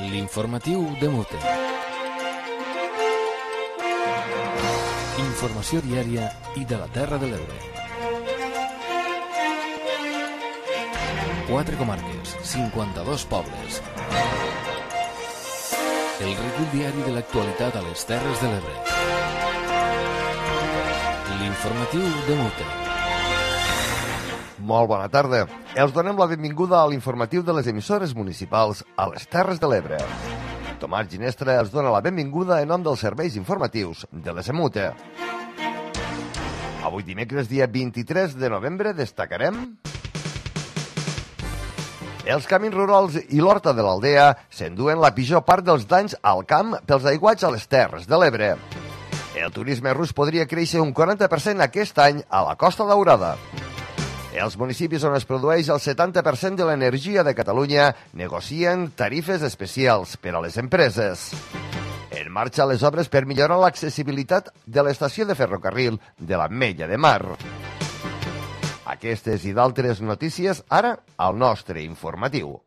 L'informatiu de Mute. Informació diària i de la Terra de l'Ebre. 4 comarques, 52 pobles. El recull diari de l'actualitat a les Terres de l'Ebre. L'informatiu de Mute. Molt bona tarda. Els donem la benvinguda a l'informatiu de les emissores municipals a les Terres de l'Ebre. Tomàs Ginestra els dona la benvinguda en nom dels serveis informatius de l'ESMUTE. Avui dimecres, dia 23 de novembre, destacarem... Els camins rurals i l'horta de l'Aldea s'enduen la pitjor part dels danys al camp pels aiguats a les Terres de l'Ebre. El turisme rus podria créixer un 40% aquest any a la Costa Daurada. Els municipis on es produeix el 70% de l'energia de Catalunya negocien tarifes especials per a les empreses. En marxa les obres per millorar l'accessibilitat de l'estació de ferrocarril de l'Ametlla de Mar. Aquestes i d'altres notícies ara al nostre informatiu.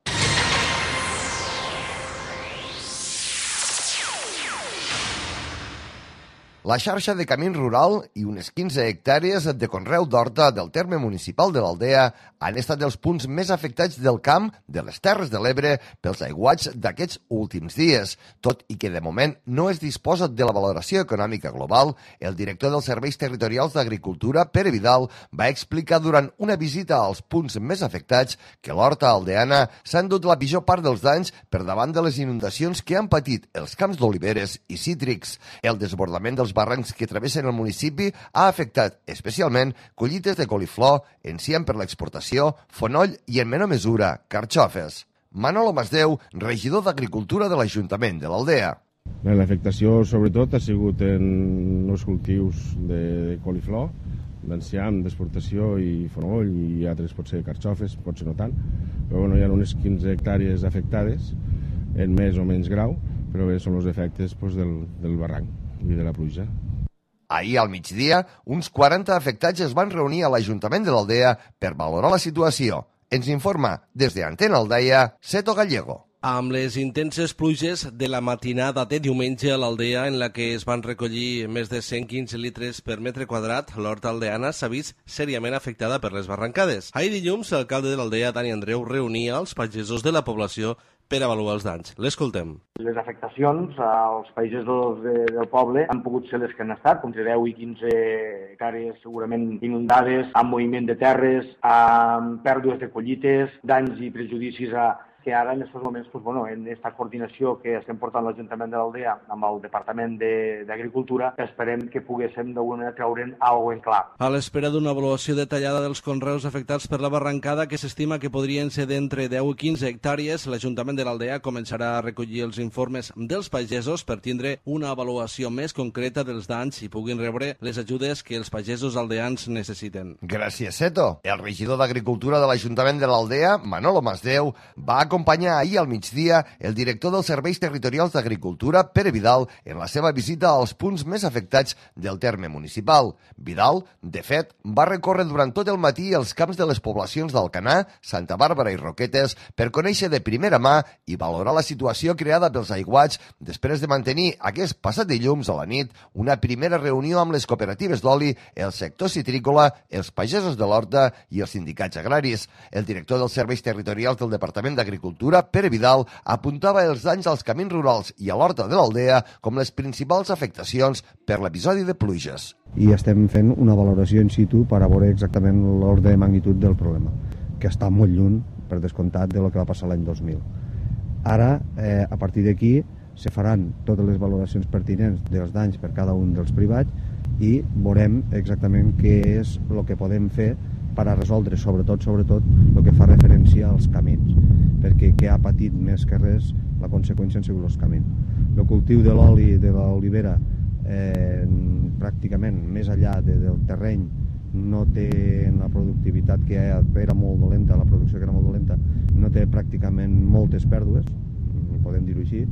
La xarxa de camins rural i unes 15 hectàrees de conreu d'horta del terme municipal de l'Aldea han estat els punts més afectats del camp de les Terres de l'Ebre pels aiguats d'aquests últims dies. Tot i que de moment no es disposa de la valoració econòmica global, el director dels Serveis Territorials d'Agricultura, Pere Vidal, va explicar durant una visita als punts més afectats que l'horta aldeana s'ha endut la pitjor part dels danys per davant de les inundacions que han patit els camps d'oliveres i cítrics. El desbordament dels barrancs que travessen el municipi ha afectat especialment collites de coliflor, enciam per l'exportació, fonoll i, en menor mesura, carxofes. Manolo Masdeu, regidor d'Agricultura de l'Ajuntament de l'Aldea. L'afectació, sobretot, ha sigut en els cultius de coliflor, d'enciam, d'exportació i fonoll i altres, potser carxofes, potser no tant, però hi ha unes 15 hectàrees afectades en més o menys grau, però bé, són els efectes del barranc i de la pluja. Ahir al migdia, uns 40 afectats es van reunir a l'Ajuntament de l'Aldea per valorar la situació. Ens informa des d'Antena Aldeia, Seto Gallego. Amb les intenses pluges de la matinada de diumenge a l'Aldea, en la que es van recollir més de 115 litres per metre quadrat, l'horta aldeana s'ha vist seriament afectada per les barrancades. Ahir dilluns, l'alcalde de l'Aldea, Dani Andreu, reunia els pagesos de la població per avaluar els danys. L'escoltem. Les afectacions als pagesos del poble han pogut ser les que han estat, entre 10 i 15 hectàrees segurament inundades, amb moviment de terres, amb pèrdues de collites, danys i prejudicis que ara en aquests moments, en aquesta coordinació que estem portant l'Ajuntament de l'Aldea amb el Departament d'Agricultura, esperem que poguéssim d'alguna manera treure'n alguna cosa en clar. A l'espera d'una avaluació detallada dels conreus afectats per la barrancada, que s'estima que podrien ser d'entre 10 i 15 hectàrees, l'Ajuntament de l'Aldea començarà a recollir els informes dels pagesos per tindre una avaluació més concreta dels danys i puguin rebre les ajudes que els pagesos aldeans necessiten. Gràcies, Seto. El regidor d'Agricultura de l'Ajuntament de l'Aldea, Manolo Masdeu, va acompanyar ahir al migdia el director dels Serveis Territorials d'Agricultura, Pere Vidal, en la seva visita als punts més afectats del terme municipal. Vidal, de fet, va recórrer durant tot el matí els camps de les poblacions d'Alcanar, Santa Bàrbara i Roquetes per conèixer de primera mà i valorar la situació creada pels aiguats després de mantenir aquest passat dilluns a la nit una primera reunió amb les cooperatives d'oli, el sector citrícola, els pagesos de l'horta i els sindicats agraris. El director dels Serveis Territorials del Departament d'Agricultura, Pere Vidal, apuntava els danys als camins rurals i a l'horta de l'Aldea com les principals afectacions per l'episodi de pluges. I estem fent una valoració in situ per a veure exactament l'ordre de magnitud del problema, que està molt lluny, per descomptat, de lo que va passar l'any 2000. Ara, a partir d'aquí, se faran totes les valoracions pertinents dels danys per cada un dels privats i veurem exactament què és el que podem fer per a resoldre, sobretot, el que fa referència als camins, perquè que ha patit més que res la conseqüència han sigut els camins. El cultiu de l'oli de l'olivera, pràcticament, més enllà del terreny, no té la productivitat que era molt dolenta, la producció que era molt dolenta, no té pràcticament moltes pèrdues, podem dir-ho així.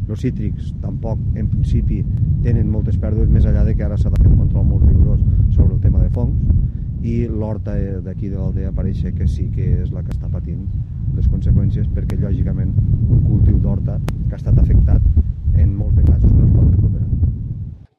Els cítrics tampoc, en principi, tenen moltes pèrdues, més enllà de que ara s'ha de fer un control molt rigorós sobre el tema de fongs, i l'horta d'aquí de l'Aldea pareix que sí que és la que està patint les conseqüències, perquè lògicament un cultiu d'horta que està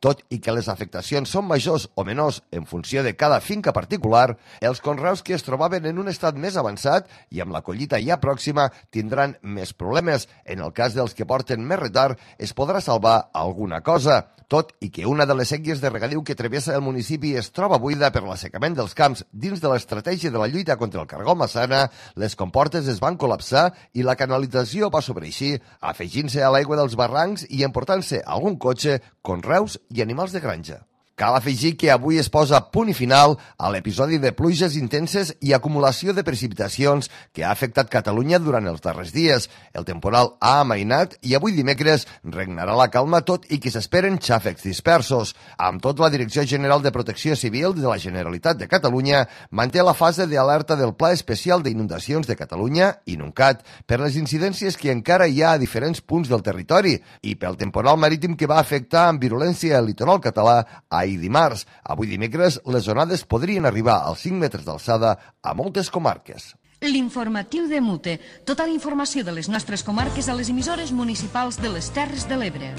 Tot i que les afectacions són majors o menors en funció de cada finca particular, els conreus que es trobaven en un estat més avançat i amb la collita ja pròxima tindran més problemes. En el cas dels que porten més retard, es podrà salvar alguna cosa. Tot i que una de les séquies de regadiu que travessa el municipi es troba buida per l'assecament dels camps dins de l'estratègia de la lluita contra el cargol massana, les comportes es van col·lapsar i la canalització va sobreixir, afegint-se a l'aigua dels barrancs i emportant-se algun cotxe, conreus i animals de granja. Cal afegir que avui es posa punt i final a l'episodi de pluges intenses i acumulació de precipitacions que ha afectat Catalunya durant els darrers dies. El temporal ha amainat i avui dimecres regnarà la calma tot i que s'esperen xàfecs dispersos. Amb tot, la Direcció General de Protecció Civil de la Generalitat de Catalunya manté la fase d'alerta del Pla Especial d'Inundacions de Catalunya, INUNCAT, per les incidències que encara hi ha a diferents punts del territori i pel temporal marítim que va afectar amb virulència el litoral català ahir dimarts. Avui dimecres, les onades podrien arribar als 5 metres d'alçada a moltes comarques. L'informatiu de Mute. Tota la informació de les nostres comarques a les emissores municipals de les Terres de l'Ebre.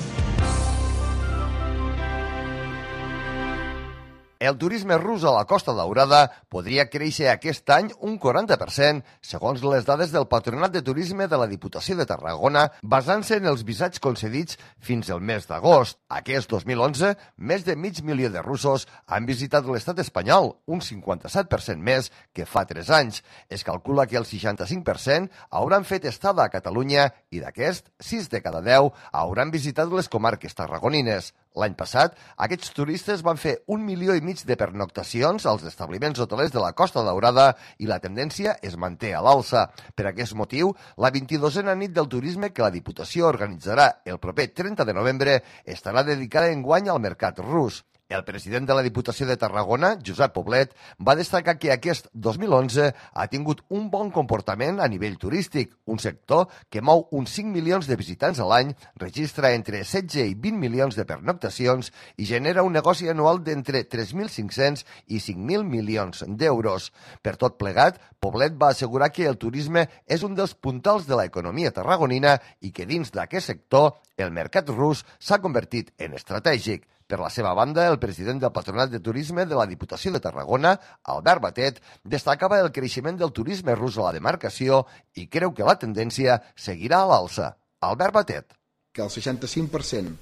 El turisme rus a la Costa Daurada podria créixer aquest any un 40%, segons les dades del Patronat de Turisme de la Diputació de Tarragona, basant-se en els visats concedits fins al mes d'agost. Aquest 2011, més de 500.000 de russos han visitat l'estat espanyol, un 57% més que fa 3 anys. Es calcula que el 65% hauran fet estada a Catalunya i d'aquest, 6 de cada 10 hauran visitat les comarques tarragonines. L'any passat, aquests turistes van fer 1,5 milions de pernoctacions als establiments hotelers de la Costa Daurada i la tendència es manté a l'alça. Per aquest motiu, la 22a nit del turisme que la Diputació organitzarà el proper 30 de novembre estarà dedicada enguany al mercat rus. El president de la Diputació de Tarragona, Josep Poblet, va destacar que aquest 2011 ha tingut un bon comportament a nivell turístic, un sector que mou uns 5 milions de visitants a l'any, registra entre 16 i 20 milions de pernoctacions i genera un negoci anual d'entre 3.500 i 5.000 milions d'euros. Per tot plegat, Poblet va assegurar que el turisme és un dels puntals de l'economia tarragonina i que dins d'aquest sector el mercat rus s'ha convertit en estratègic. Per la seva banda, el president del Patronat de Turisme de la Diputació de Tarragona, Albert Batet, destacava el creixement del turisme rus a la demarcació i creu que la tendència seguirà a l'alça. Albert Batet. Que el 65%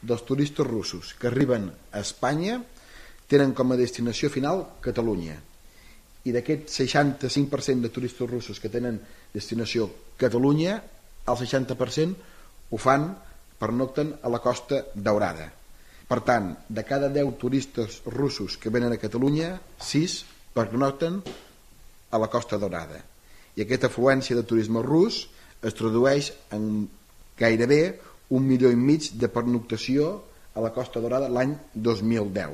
dels turistes russos que arriben a Espanya tenen com a destinació final Catalunya. I d'aquest 65% de turistes russos que tenen destinació Catalunya, el 60% ho fan, pernocten a la Costa Daurada. Per tant, de cada 10 turistes russos que venen a Catalunya, 6 pernocten a la Costa Daurada. I aquesta afluència de turisme rus es tradueix en gairebé 1,5 milions de pernoctació a la Costa Daurada l'any 2010.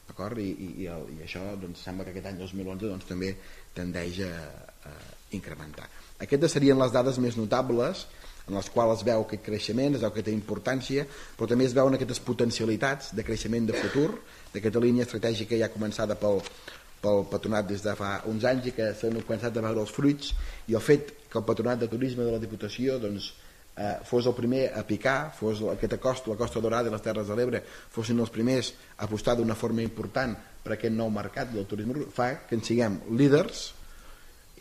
D'acord? I això doncs, sembla que aquest any 2011 doncs, també tendeix a incrementar. Aquestes serien les dades més notables en les quals es veu aquest creixement, es veu aquesta importància, però també es veuen aquestes potencialitats de creixement de futur, d'aquesta línia estratègica ja començada pel Patronat des de fa uns anys i que s'han començat a veure els fruits, i el fet que el Patronat de Turisme de la Diputació doncs, fos el primer a picar, fos aquesta costa, la Costa Daurada i les Terres de l'Ebre fossin els primers a apostar d'una forma important per aquest nou mercat del turisme, fa que en siguem líders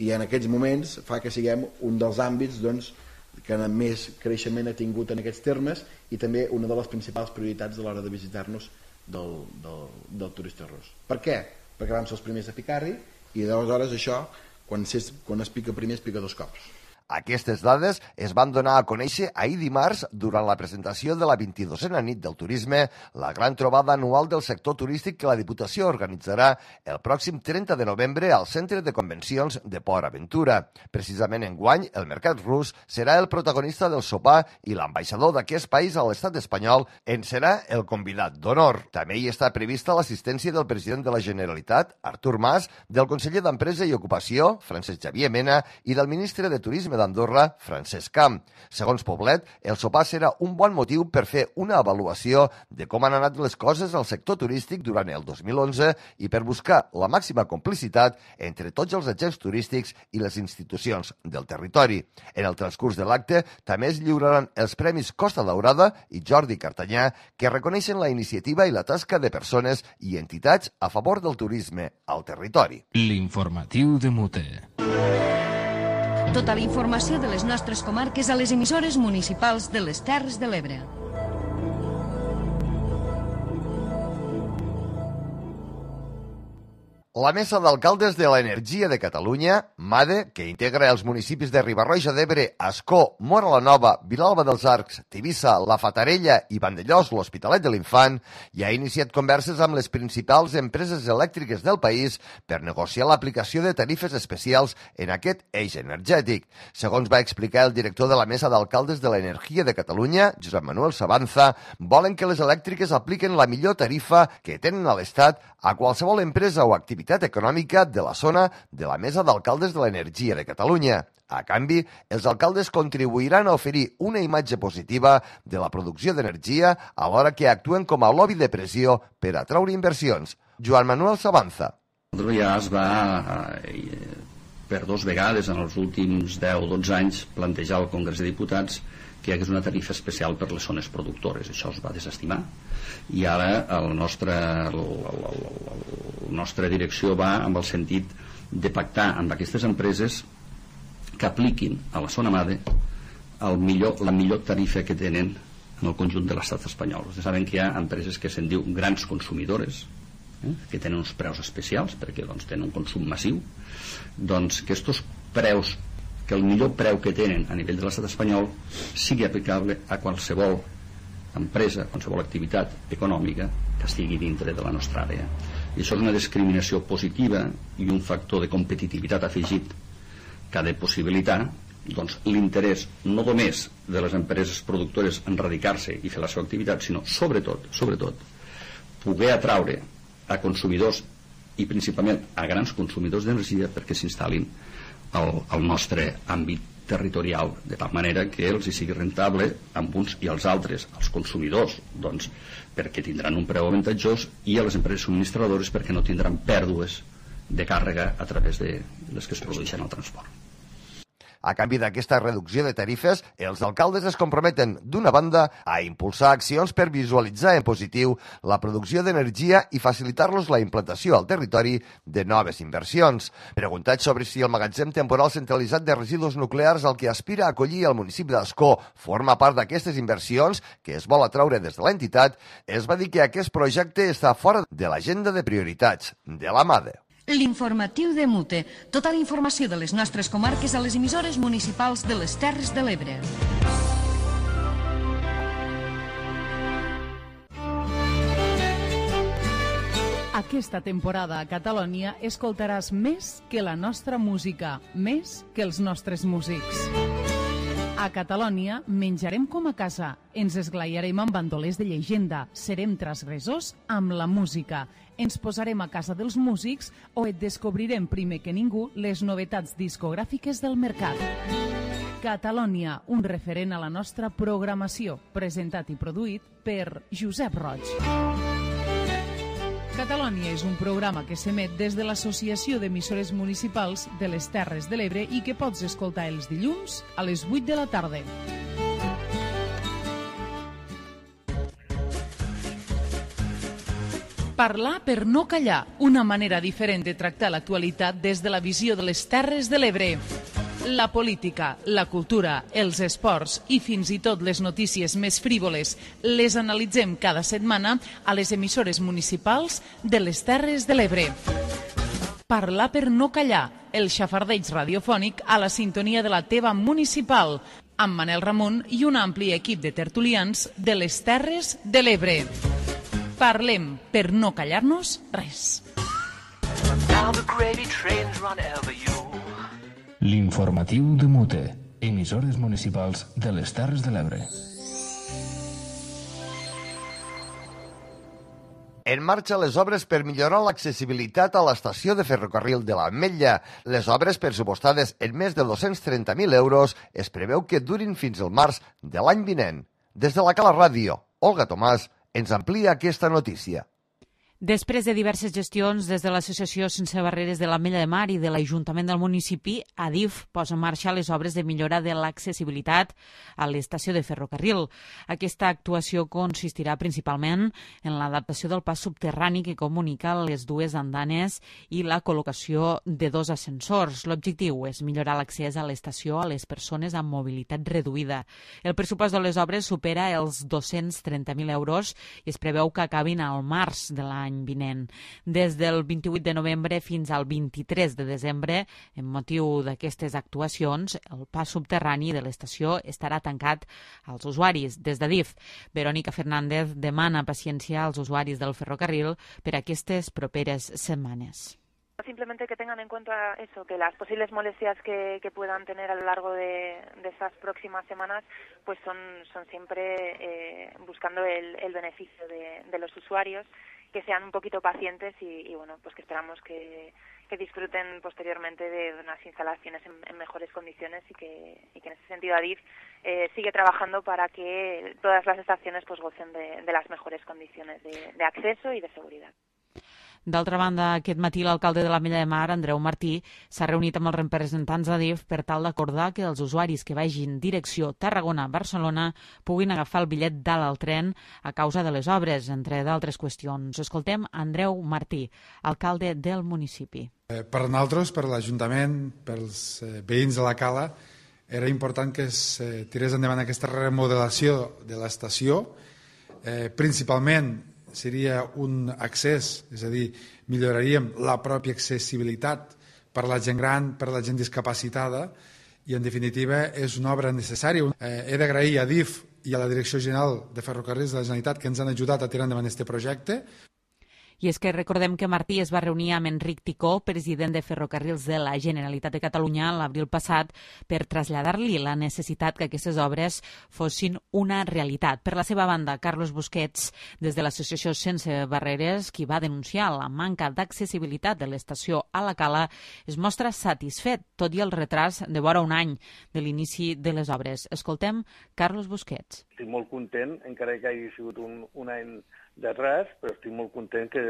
i en aquests moments fa que siguem un dels àmbits doncs, que més creixement ha tingut en aquests termes i també una de les principals prioritats a l'hora de visitar-nos del turista rus. Per què? Perquè vam ser els primers a picar-hi i aleshores això, quan es pica primer, es pica 2 cops. Aquestes dades es van donar a conèixer ahir dimarts durant la presentació de la 22a nit del turisme, la gran trobada anual del sector turístic que la Diputació organitzarà el pròxim 30 de novembre al Centre de Convencions de Port Aventura. Precisament enguany, el mercat rus serà el protagonista del sopar i l'ambaixador d'aquest país a l'estat espanyol en serà el convidat d'honor. També hi està prevista l'assistència del president de la Generalitat, Artur Mas, del conseller d'Empresa i Ocupació, Francesc Xavier Mena, i del ministre de Turisme Marítima d'Andorra, Francesc Camp. Segons Poblet, el sopar serà un bon motiu per fer una avaluació de com han anat les coses al sector turístic durant el 2011 i per buscar la màxima complicitat entre tots els agents turístics i les institucions del territori. En el transcurs de l'acte també es lliuraran els Premis Costa Daurada i Jordi Cartanyà, que reconeixen la iniciativa i la tasca de persones i entitats a favor del turisme al territori. L'informatiu de Mute. Tota la informació de les nostres comarques a les emissores municipals de les Terres de l'Ebre. La Mesa d'Alcaldes de l'Energia de Catalunya, MADE, que integra els municipis de Riba-roja d'Ebre, Ascó, Móra la Nova, Vilalba dels Arcs, Tivissa, La Fatarella i Vandellòs, l'Hospitalet de l'Infant, ja ha iniciat converses amb les principals empreses elèctriques del país per negociar l'aplicació de tarifes especials en aquest eix energètic. Segons va explicar el director de la Mesa d'Alcaldes de l'Energia de Catalunya, Josep Manuel Sabanza, volen que les elèctriques apliquen la millor tarifa que tenen a l'Estat a qualsevol empresa o activitat econòmica de la zona de la Mesa d'Alcaldes de l'Energia de Catalunya. A canvi, els alcaldes contribuiran a oferir una imatge positiva de la producció d'energia alhora que actuen com a lobby de pressió per atraure inversions. Joan Manuel Sabanza. Ja es va, per 2 vegades en els últims 10 o 12 anys, plantejar al Congrés de Diputats que hi hagués una tarifa especial per les zones productores. Això es va desestimar i ara la nostra direcció va amb el sentit de pactar amb aquestes empreses que apliquin a la zona MADE la millor tarifa que tenen en el conjunt de l'estat espanyol. Vostès saben que hi ha empreses que se'n diu grans consumidores, que tenen uns preus especials perquè tenen un consum massiu, doncs que aquests preus, que el millor preu que tenen a nivell de l'estat espanyol sigui aplicable a qualsevol empresa, qualsevol activitat econòmica que estigui dintre de la nostra àrea. I això és una discriminació positiva i un factor de competitivitat afegit que ha de possibilitar l'interès no només de les empreses productores en radicar-se i fer la seva activitat, sinó sobretot poder atraure a consumidors i principalment a grans consumidors d'energia perquè s'instal·lin al nostre àmbit territorial, de tal manera que els hi sigui rentable amb uns i els altres, als consumidors, perquè tindran un preu avantatjós, i a les empreses subministradores perquè no tindran pèrdues de càrrega a través de les que es produeixen al transport. A canvi d'aquesta reducció de tarifes, els alcaldes es comprometen, d'una banda, a impulsar accions per visualitzar en positiu la producció d'energia i facilitar-los la implantació al territori de noves inversions. Preguntat sobre si el magatzem temporal centralitzat de residus nuclears al que aspira a acollir el municipi d'Ascó forma part d'aquestes inversions que es vol atraure des de l'entitat, es va dir que aquest projecte està fora de l'agenda de prioritats de la MADE. L'informatiu de Mute. Tota la informació de les nostres comarques a les emissores municipals de les Terres de l'Ebre. Aquesta temporada a Catalunya escoltaràs més que la nostra música, més que els nostres músics. A Catalunya menjarem com a casa, ens esglaiarem amb bandolers de llegenda, serem transgressors amb la música, ens posarem a casa dels músics o et descobrirem primer que ningú les novetats discogràfiques del mercat. Catalunya, un referent a la nostra programació, presentat i produït per Josep Roig. Catalunya és un programa que s'emet des de l'Associació d'Emissores Municipals de les Terres de l'Ebre i que pots escoltar els dilluns a les 8 de la tarda. Parlar per no callar, una manera diferent de tractar l'actualitat des de la visió de les Terres de l'Ebre. La política, la cultura, els esports i fins i tot les notícies més frívoles les analitzem cada setmana a les emissores municipals de les Terres de l'Ebre. Parlar per no callar, el xafardeig radiofònic a la sintonia de la teva municipal, amb Manel Ramon i un ampli equip de tertulians de les Terres de l'Ebre. Parlem per no callar-nos res. L'informatiu de Mute, emissores municipals de les Terres de l'Ebre. En marxa les obres per millorar l'accessibilitat a l'estació de ferrocarril de l'Ametlla. Les obres, pressupostades en més de 230.000 euros, es preveu que durin fins al març de l'any vinent. Des de la Cala Ràdio, Olga Tomàs ens amplia aquesta notícia. Després de diverses gestions des de l'Associació Sense Barreres de l'Ametlla de Mar i de l'Ajuntament del municipi, Adif posa en marxa les obres de millora de l'accessibilitat a l'estació de ferrocarril. Aquesta actuació consistirà principalment en l'adaptació del pas subterrani que comunica les dues andanes i la col·locació de 2 ascensors. L'objectiu és millorar l'accés a l'estació a les persones amb mobilitat reduïda. El pressupost de les obres supera els 230.000 euros i es preveu que acabin al març de l'any vinent. Des del 28 de novembre fins al 23 de desembre, en motiu d'aquestes actuacions, el pas subterrani de l'estació estarà tancat als usuaris. Des d'Adif, Verónica Fernández demana paciència als usuaris del ferrocarril per aquestes properes setmanes. Simplemente que tengan en cuenta eso, que las posibles molestias que puedan tener a lo largo de estas próximas semanas pues son siempre buscando el beneficio de los usuarios, que sean un poquito pacientes y bueno, pues que esperamos que disfruten posteriormente de unas instalaciones en mejores condiciones y que en ese sentido Adif sigue trabajando para que todas las estaciones pues gocen de las mejores condiciones de acceso y de seguridad. D'altra banda, aquest matí l'alcalde de l'Ametlla de Mar, Andreu Martí, s'ha reunit amb els representants d'Adif per tal d'acordar que els usuaris que vagin direcció Tarragona-Barcelona puguin agafar el bitllet dalt al tren a causa de les obres, entre d'altres qüestions. Escoltem Andreu Martí, alcalde del municipi. Per nosaltres, per l'Ajuntament, pels veïns de la Cala, era important que es tirés endavant aquesta remodelació de l'estació, principalment seria un accés, és a dir, milloraríem la pròpia accessibilitat per la gent gran, per la gent discapacitada, i en definitiva és una obra necessària. He d'agrair a Adif i a la Direcció General de Ferrocarrils de la Generalitat que ens han ajudat a tirar endavant aquest projecte. I és que recordem que Martí es va reunir amb Enric Ticó, president de Ferrocarrils de la Generalitat de Catalunya, l'abril passat, per traslladar-li la necessitat que aquestes obres fossin una realitat. Per la seva banda, Carlos Busquets, des de l'Associació Sense Barreres, qui va denunciar la manca d'accessibilitat de l'estació a la Cala, es mostra satisfet, tot i el retras de vora un any de l'inici de les obres. Escoltem Carlos Busquets. Estic molt content, encara que hagi sigut un any d'atràs, però estic molt content que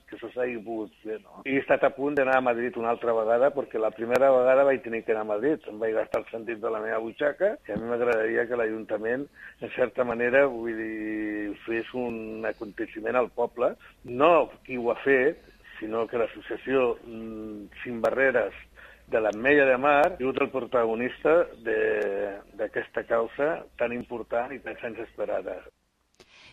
això s'hagi pogut fer. No? He estat a punt d'anar a Madrid una altra vegada, perquè la primera vegada vaig tenir que anar a Madrid. Em vaig gastar el sentit de la meva butxaca, i a mi m'agradaria que l'Ajuntament, en certa manera, vull dir, fes un aconteciment al poble. No qui ho ha fet, sinó que l'associació Sin Barreres de l'Ametlla de Mar ha sigut el protagonista d'aquesta causa tan important i tan sense esperada.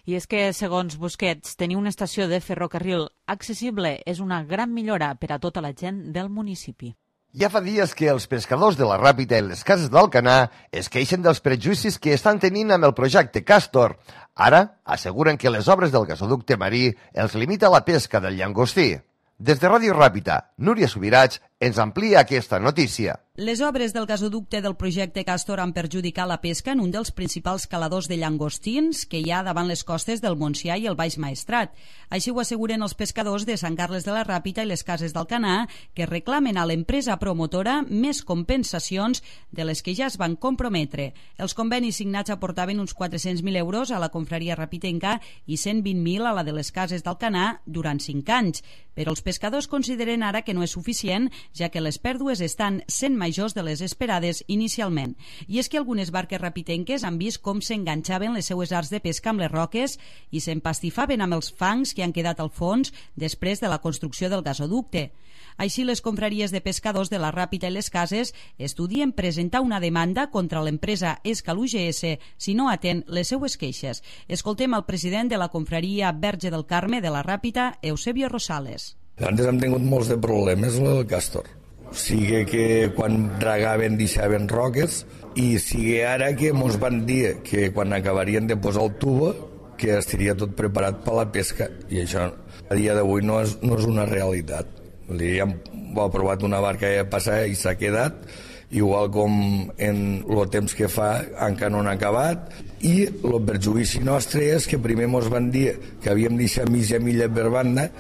I és que, segons Busquets, tenir una estació de ferrocarril accessible és una gran millora per a tota la gent del municipi. Ja fa dies que els pescadors de la Ràpita i les cases d'Alcanar es queixen dels prejudicis que estan tenint amb el projecte Castor. Ara asseguren que les obres del gasoducte marí els limita la pesca del llangostí. Des de Ràdio Ràpita, Núria Subirats ens amplia aquesta notícia. Les obres del gasoducte del projecte Castor han perjudicat la pesca en un dels principals caladors de llangostins que hi ha davant les costes del Montsià i el Baix Maestrat. Així ho asseguren els pescadors de Sant Carles de la Ràpita i les cases d'Alcanar, que reclamen a l'empresa promotora més compensacions de les que ja es van comprometre. Els convenis signats aportaven uns 400.000 euros a la confraria rapitenca i 120.000 a la de les cases d'Alcanar durant 5 anys. Però els pescadors consideren ara que no és suficient, ja que les pèrdues estan sent majors de les esperades inicialment. I és que algunes barques rapitenques han vist com s'enganxaven les seues arts de pesca amb les roques i s'empastifaven amb els fangs que han quedat al fons després de la construcció del gasoducte. Així, les confraries de pescadors de la Ràpita i les cases estudien presentar una demanda contra l'empresa Escal UGS si no atén les seues queixes. Escoltem el president de la confraria Verge del Carme de la Ràpita, Eusebio Rosales. Antes hem tingut molts de problemes amb el Castor. Sigui que quan dragaven deixaven roques i sigui ara que ens van dir que quan acabarien de posar el tubo que estaria tot preparat per la pesca i això a dia d'avui no és una realitat. Ja hem provat una barca passar i s'ha quedat igual com en el temps que fa encara no han acabat, i el perjudici nostre és que primer ens van dir que havíem deixat mitja milla per banda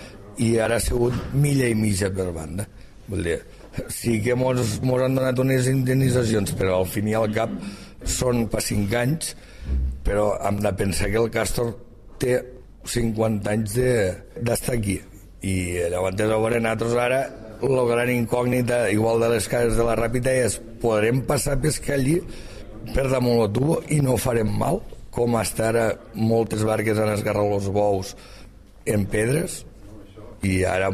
i ara ha sigut milla i mitja per banda. Vull dir, sí que ens han donat unes indemnitzacions, però al fin i al cap són per 5 anys, però hem de pensar que el Castor té 50 anys d'estar aquí. I llavors a veure, nosaltres ara la gran incògnita, igual de les cases de la Ràpita, és podrem passar a pescar allí per damunt el tubo i no farem mal, com hasta ara moltes barques han esgarrat els bous en pedres. I ara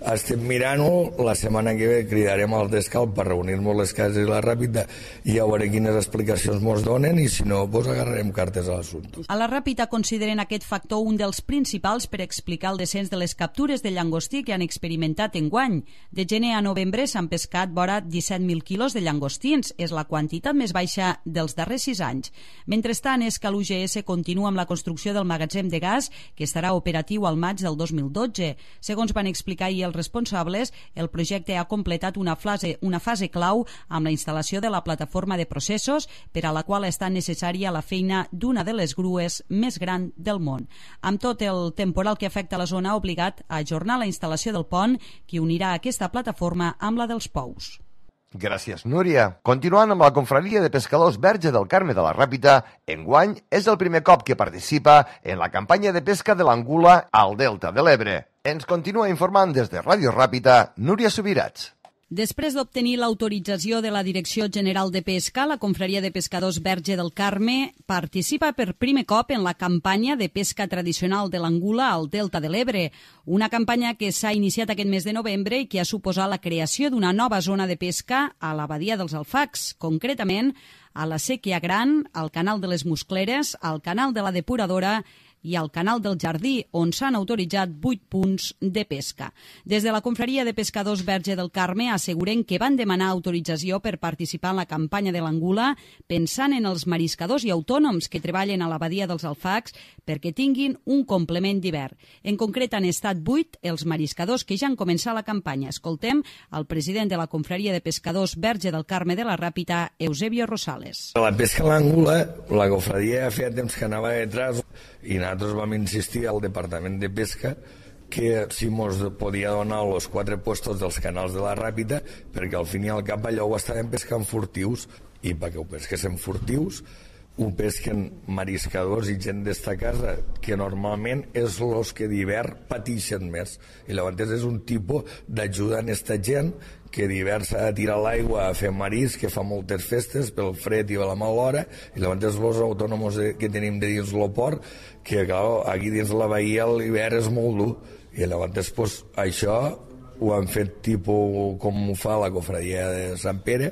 estem mirant-ho, la setmana que ve cridarem al Descalç per reunir-nos les cases i la Ràpita i a veure quines explicacions ens donen, i si no, agarrarem cartes a l'assumpte. A la Ràpita consideren aquest factor un dels principals per explicar el descens de les captures de llangostí que han experimentat enguany. De gener a novembre s'han pescat vora 17.000 quilos de llangostins, és la quantitat més baixa dels darrers 6 anys. Mentrestant, és que l'UGS continua amb la construcció del magatzem de gas, que estarà operatiu al maig del 2012. Segons van explicar ahir els responsables, el projecte ha completat una fase clau amb la instal·lació de la plataforma de processos, per a la qual està necessària la feina d'una de les grues més gran del món. Amb tot, el temporal que afecta la zona ha obligat a ajornar la instal·lació del pont que unirà aquesta plataforma amb la dels Pous. Gràcies, Núria. Continuant amb la confraria de pescadors Verge del Carme de la Ràpita, enguany és el primer cop que participa en la campanya de pesca de l'angula al Delta de l'Ebre. Ens continua informant des de Ràdio Ràpita, Núria Subirats. Després d'obtenir l'autorització de la Direcció General de Pesca, la confraria de pescadors Verge del Carme participa per primer cop en la campanya de pesca tradicional de l'angula al Delta de l'Ebre, una campanya que s'ha iniciat aquest mes de novembre i que ha suposat la creació d'una nova zona de pesca a la badia dels Alfacs, concretament a la Sèquia Gran, al canal de les Muscleres, al canal de la Depuradora i al canal del Jardí, on s'han autoritzat 8 punts de pesca. Des de la confraria de pescadors Verge del Carme asseguren que van demanar autorització per participar en la campanya de l'angula pensant en els mariscadors i autònoms que treballen a la badia dels Alfacs perquè tinguin un complement d'hivern. En concret han estat 8 els mariscadors que ja han començat la campanya. Escoltem el president de la confraria de pescadors Verge del Carme de la Ràpita, Eusebio Rosales. La pesca a l'angula, la confraria feia temps que anava detrás i nosaltres vam insistir al Departament de Pesca que si ens podia donar els 4 puestos dels canals de la Ràpita, perquè al fin i al cap allò ho estàvem pescant furtius, i perquè ho pesquessin furtius ho pesquen mariscadors i gent d'esta casa, que normalment és els que d'hivern pateixen més, i llavors és un tipus d'ajuda en esta gent que d'hivern s'ha de tirar l'aigua a fer marisc, que fa moltes festes pel fred i a la mala hora, i llavors els autònoms que tenim de dins el port, que clar, aquí dins la bahia l'hivern és molt dur, i llavors pues, això ho han fet tipus com ho fa la cofradia de Sant Pere.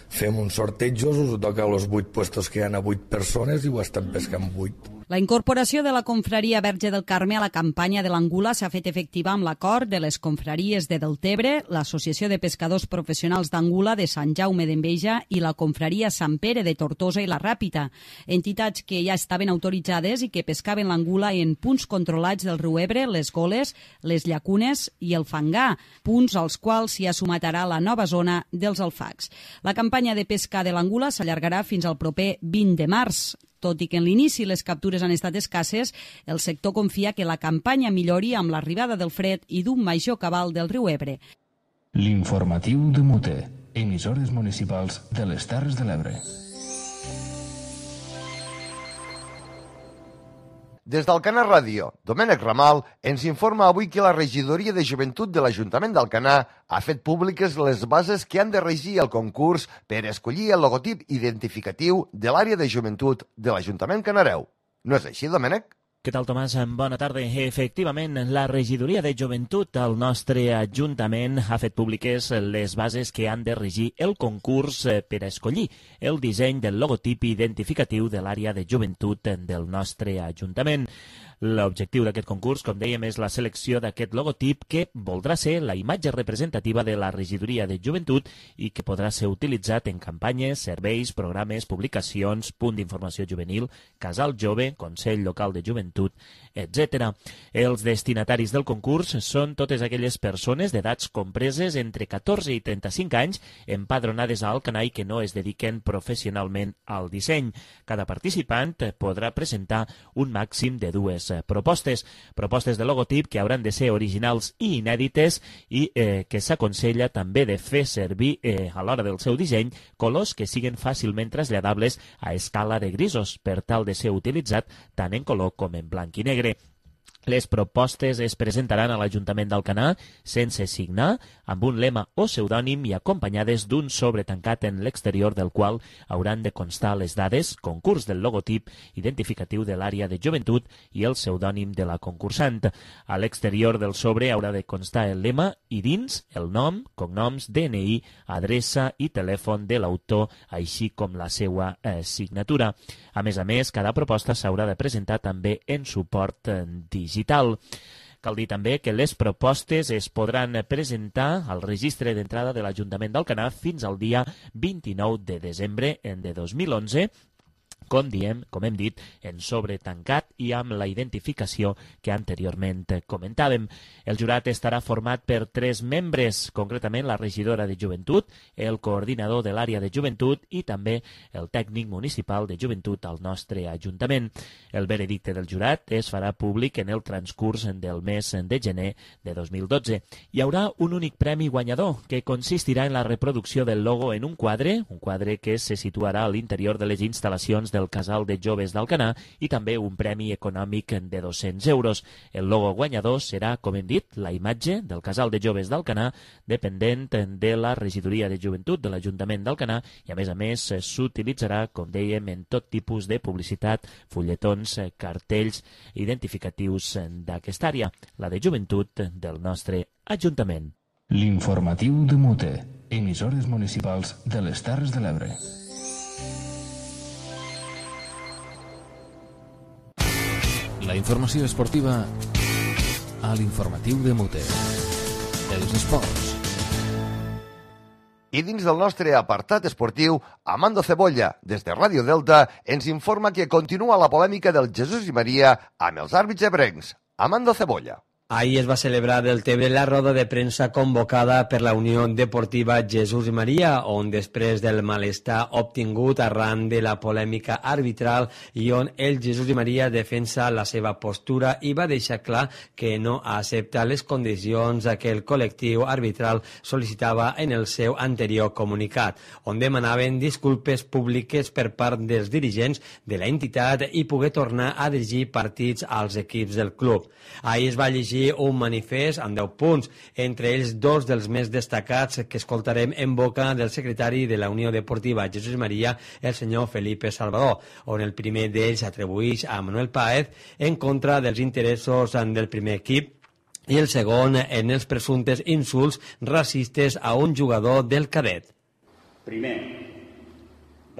Fem uns sortejos, us toca els 8 puestos que hi ha a 8 persones i ho estan pescant 8. La incorporació de la confraria Verge del Carme a la campanya de l'angula s'ha fet efectiva amb l'acord de les confraries de Deltebre, l'Associació de Pescadors Professionals d'Angula de Sant Jaume d'Enveja i la confraria Sant Pere de Tortosa i la Ràpita, entitats que ja estaven autoritzades i que pescaven l'angula en punts controlats del riu Ebre, les Goles, les Llacunes i el Fangar, punts als quals s'hi sumatarà la nova zona dels Alfacs. La campanya de pesca de l'angula s'allargarà fins al proper 20 de març. Tot i que en l'inici les captures han estat escasses, el sector confia que la campanya millori amb l'arribada del fred i d'un major cabal del riu Ebre. L'informatiu de Mute, emissores municipals de les Terres de l'Ebre. Des d'Alcanar Ràdio, Domènec Ramal ens informa avui que la regidoria de joventut de l'Ajuntament d'Alcanar ha fet públiques les bases que han de regir el concurs per escollir el logotip identificatiu de l'àrea de joventut de l'Ajuntament canareu. No és així, Domènec? Què tal, Tomàs? Bona tarda. Efectivament, la regidoria de joventut al nostre Ajuntament ha fet públiques les bases que han de regir el concurs per a escollir el disseny del logotip identificatiu de l'àrea de joventut del nostre Ajuntament. L'objectiu d'aquest concurs, com dèiem, és la selecció d'aquest logotip que voldrà ser la imatge representativa de la regidoria de joventut i que podrà ser utilitzat en campanyes, serveis, programes, publicacions, punt d'informació juvenil, casal jove, consell local de joventut, etc. Els destinataris del concurs són totes aquelles persones d'edats compreses entre 14 i 35 anys empadronades a Alcanar i que no es dediquen professionalment al disseny. Cada participant podrà presentar un màxim de 2 propostes. Propostes de logotip que hauran de ser originals i inèdites i que s'aconsella també de fer servir a l'hora del seu disseny colors que siguen fàcilment traslladables a escala de grisos per tal de ser utilitzat tant en color com en blanc i negre. Les propostes es presentaran a l'Ajuntament d'Alcanar sense signar, amb un lema o pseudònim i acompanyades d'un sobre tancat en l'exterior del qual hauran de constar les dades, concurs del logotip, identificatiu de l'àrea de joventut i el pseudònim de la concursant. A l'exterior del sobre haurà de constar el lema i dins el nom, cognoms, DNI, adreça i telèfon de l'autor, així com la seva signatura. A més, cada proposta s'haurà de presentar també en suport digital. Cal dir també que les propostes es podran presentar al registre d'entrada de l'Ajuntament d'Alcanar fins al dia 29 de desembre de 2011, com hem dit, en sobre tancat i amb la identificació que anteriorment comentàvem. El jurat estarà format per 3 membres, concretament la regidora de joventut, el coordinador de l'àrea de joventut i també el tècnic municipal de joventut al nostre Ajuntament. El veredicte del jurat es farà públic en el transcurs del mes de gener de 2012. Hi haurà un únic premi guanyador, que consistirà en la reproducció del logo en un quadre que se situarà a l'interior de les instal·lacions del Casal de Joves d'Alcanar i també un premi econòmic de 200 euros. El logo guanyador serà, com hem dit, la imatge del Casal de Joves d'Alcanar, dependent de la regidoria de joventut de l'Ajuntament d'Alcanar i, a més, s'utilitzarà, com dèiem, en tot tipus de publicitat, fulletons, cartells identificatius d'aquesta àrea, la de joventut del nostre Ajuntament. L'informatiu de Mute, emissores municipals de les Terres de l'Ebre. La informació esportiva a l'informatiu de Mute. Els esports. I dins del nostre apartat esportiu, Amando Cebolla, des de Ràdio Delta, ens informa que continua la polèmica del Jesús i Maria amb els àrbitres ebrencs. Amando Cebolla. Ahir es va celebrar del Tebre la roda de premsa convocada per la Unió Deportiva Jesús i Maria, on després del malestar obtingut arran de la polèmica arbitral i on el Jesús i Maria defensa la seva postura i va deixar clar que no accepta les condicions que el col·lectiu arbitral sol·licitava en el seu anterior comunicat, on demanaven disculpes públiques per part dels dirigents de la entitat i poder tornar a dirigir partits als equips del club. Ahir es va llegir un manifest amb 10 punts, entre ells 2 dels més destacats que escoltarem en boca del secretari de la Unió Deportiva Jesús i Maria, el senyor Felipe Salvador, on el primer d'ells atribueix a Manuel Páez en contra dels interessos del primer equip i el segon en els presumptes insults racistes a un jugador del cadet. Primer,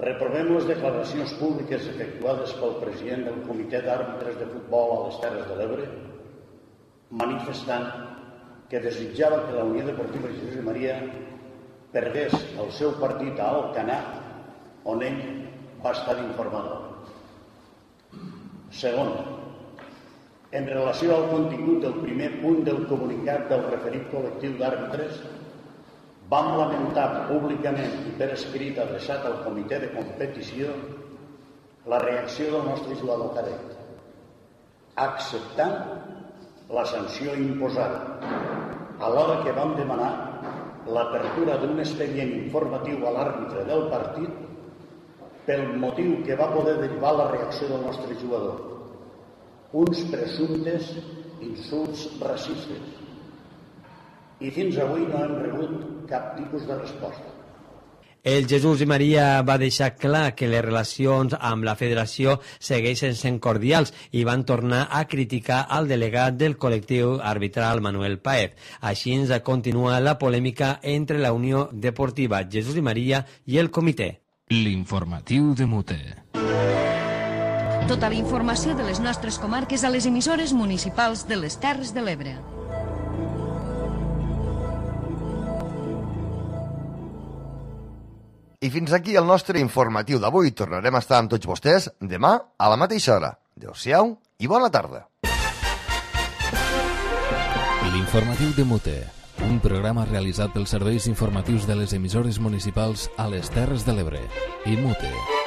reprovem les declaracions públiques efectuades pel president del Comitè d'Àrbitres de Futbol a les Terres de l'Ebre, manifestant que desitjava que la Unió Deportiva Jesús i Maria perdés el seu partit a Alcanar, on ell va estar d'informador. Segon, en relació al contingut del primer punt del comunicat del referit col·lectiu d'àrbitres, vam lamentar públicament i per escrit adreçat al comitè de competició la reacció del nostre jugador cadet, acceptant la sanció imposada, alhora que vam demanar l'apertura d'un expedient informatiu a l'àrbitre del partit pel motiu que va poder derivar la reacció del nostre jugador, uns presumptes insults racistes. I fins avui no hem rebut cap tipus de resposta. El Jesús i Maria va deixar clar que les relacions amb la federació segueixen sent cordials i van tornar a criticar al delegat del col·lectiu arbitral Manuel Páez. Així ens continua la polèmica entre la Unió Deportiva Jesús i Maria i el comitè. L'informatiu de Mute. Tota la informació de les nostres comarques a les emissores municipals de les Terres de l'Ebre. I fins aquí el nostre informatiu d'avui. Tornarem a estar amb tots vostès demà a la mateixa hora. Adéu-siau i bona tarda. L'informatiu de Mute, un programa realitzat pels serveis informatius de les emissores municipals a les Terres de l'Ebre i Mute.